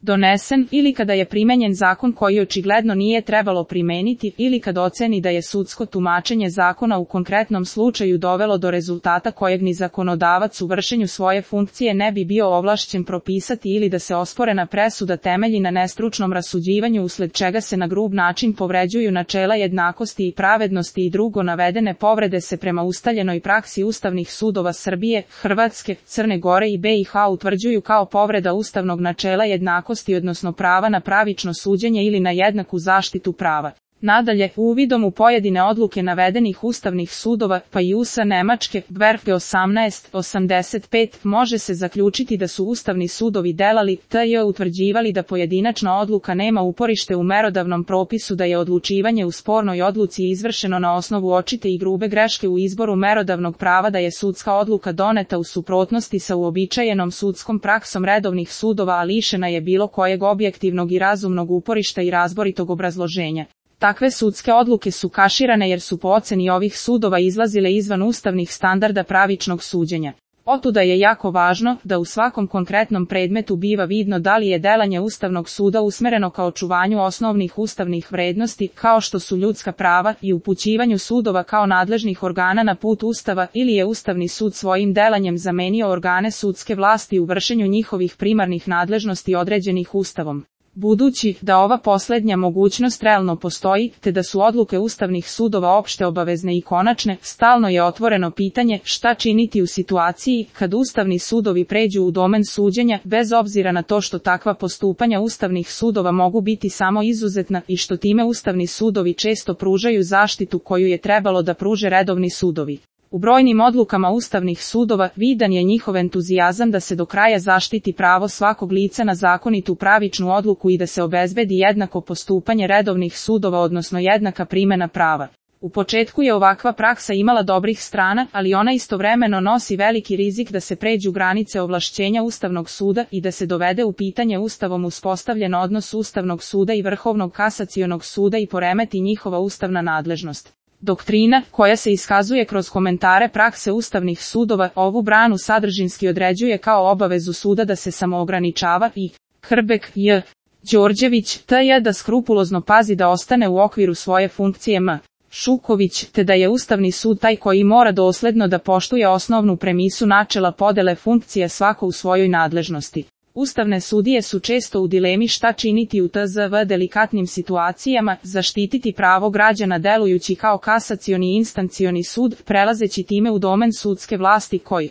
donesen, ili kada je primenjen zakon koji očigledno nije trebalo primeniti, ili kad oceni da je sudsko tumačenje zakona u konkretnom slučaju dovelo do rezultata kojeg ni zakonodavac u vršenju svoje funkcije ne bi bio ovlašćen propisati, ili da se osporena presuda temelji na nestručnom rasuđivanju usled čega se na grub način povređuju načela jednakosti i pravednosti i drugo navedene povrede se prema ustaljenoj praksi ustavnih sudova Srbije, Hrvatske, Crne Gore i BiH utvrđuju kao povreda ustavnog načela jednakosti, odnosno prava na pravično suđenje ili na jednaku zaštitu prava. Nadalje, uvidom u pojedine odluke navedenih ustavnih sudova, pa i USA Nemačke, Werfge 1885, može se zaključiti da su ustavni sudovi delali, tj. utvrđivali da pojedinačna odluka nema uporište u merodavnom propisu, da je odlučivanje u spornoj odluci izvršeno na osnovu očite i grube greške u izboru merodavnog prava, da je sudska odluka doneta u suprotnosti sa uobičajenom sudskom praksom redovnih sudova, a lišena je bilo kojeg objektivnog i razumnog uporišta i razboritog obrazloženja. Takve sudske odluke su kaširane jer su po oceni ovih sudova izlazile izvan ustavnih standarda pravičnog suđenja. Otuda je jako važno da u svakom konkretnom predmetu biva vidno da li je delanje Ustavnog suda usmereno ka očuvanju osnovnih ustavnih vrednosti, kao što su ljudska prava, i upućivanju sudova kao nadležnih organa na put Ustava, ili je Ustavni sud svojim delanjem zamenio organe sudske vlasti u vršenju njihovih primarnih nadležnosti određenih Ustavom. Budući da ova poslednja mogućnost realno postoji, te da su odluke ustavnih sudova opšte obavezne i konačne, stalno je otvoreno pitanje šta činiti u situaciji kad ustavni sudovi pređu u domen suđenja, bez obzira na to što takva postupanja ustavnih sudova mogu biti samo izuzetna i što time ustavni sudovi često pružaju zaštitu koju je trebalo da pruže redovni sudovi. U brojnim odlukama ustavnih sudova vidan je njihov entuzijazam da se do kraja zaštiti pravo svakog lica na zakonitu pravičnu odluku i da se obezbedi jednako postupanje redovnih sudova, odnosno jednaka primena prava. U početku je ovakva praksa imala dobrih strana, ali ona istovremeno nosi veliki rizik da se pređu granice ovlašćenja Ustavnog suda i da se dovede u pitanje Ustavom uspostavljen odnos Ustavnog suda i Vrhovnog kasacionog suda i poremeti njihova ustavna nadležnost. Doktrina, koja se iskazuje kroz komentare prakse ustavnih sudova, ovu branu sadržinski određuje kao obavezu suda da se samoograničava i Hrbek, J. Đorđević, T.J. da skrupulozno pazi da ostane u okviru svoje funkcije M. Šuković, te da je Ustavni sud taj koji mora dosledno da poštuje osnovnu premisu načela podele funkcije svako u svojoj nadležnosti. Ustavne sudije su često u dilemi šta činiti u tzv. Delikatnim situacijama, zaštititi pravo građana delujući kao kasacioni i instancioni sud, prelazeći time u domen sudske vlasti koji